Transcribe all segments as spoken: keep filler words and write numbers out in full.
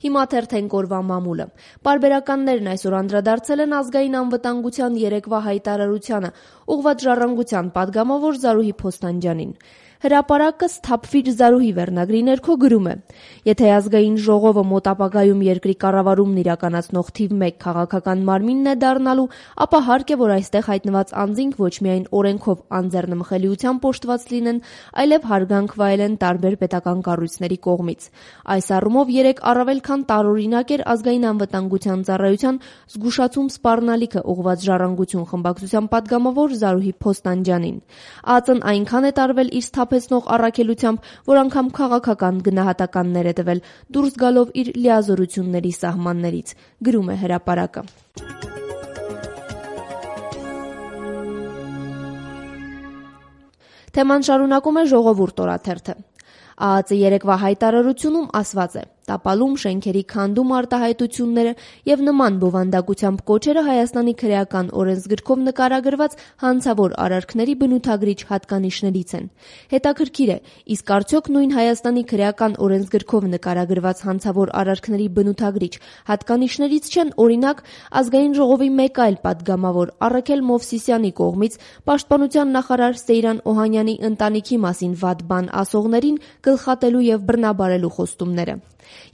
Հիմա թերթենք օրվա մամուլը։ Պարբերականներն այսօր անդրադարձել են ազգային անվտանգության երեկվա հայտարարությանը, ուղղված ժառանգության պատգամավոր Զարուհի Փոստանջյանին։ Հրապարակը «Սթափվիր Զարուհի» վերնագրի ներքո գրում է. «Եթե ազգային ժողովը մոտ ապագայում երկրի կառավարումն իրականացնող թիվ մեկ քաղաքական մարմինն է դառնալու, ապա հարկ է, որ այստեղ հայտնված անձինք ոչ միայն օրենքով անձեռնմխելիությամբ օժտված լինեն, այլև հարգանք վայելեն տարբեր պետական կառույցների կողմից»։ Այս առումով երեկ առավել քան տարօրինակ էր ազգային անվտանգության ծառայության զգուշացում սպառնալիքը ուղղված ժառանգություն խմբակցության պատգամավոր Զարուհի Փոստանջյանին։ ԱԱԾ-ն այնքան է տարվել իր սթափեցնող առաքելությամբ, որ անգամ քաղաքական գնահատականներ է տվել, դուրս գալով իր լիազորությունների սահմաններից, գրում է Հրապարակը։ Թեման շարունակում է Ժողովուրդ օրաթերթը։ ԱԱԾ երեկվա հայտարարությունում ասված է. «Տապալում, շենքերի քանդում արտահայտությունները եւ նման բովանդակությամբ կոչերը Հայաստանի քրեական օրենսգրքով նկարագրված հանցավոր արարքների բնութագրիչ հատկանիշներից են։ Հետաքրքիր է, իսկ արդյոք նույն Հայաստանի քրեական օրենսգրքով նկարագրված հանցավոր արարքների բնութագրիչ հատկանիշներից չեն, օրինակ, Ազգային ժողովի մեկ այլ պատգամավոր Առաքել Մովսիսյանի կողմից Պաշտպանության նախարար Սեյրան Օհանյանի ընտանիքի մասին վատ բան ասողներին գլխատելու եւ բռնաբարելու խոստումները։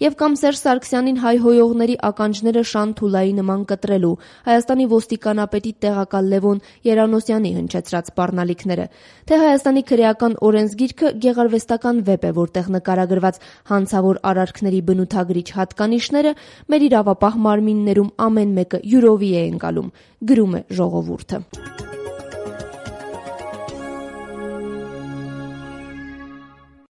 Եվ կամ Սերժ Սարգսյանին հայհոյողների ականջները Շան Թուլայի նման կտրելու, Հայաստանի ոստիկանապետի տեղակալ Լևոն Երանոսյանի հնչեցրած սպառնալիքները, թե Հայաստանի քրեական օրենսգիրքը գեղարվեստական վեպ է, որտեղ նկարագրված հանցավոր արարքների բնութագրիչ հատկանիշները մեր իրավապահ մարմիններում ամեն մեկը յուրովի է ընկալում, գրում է Ժողովուրդը։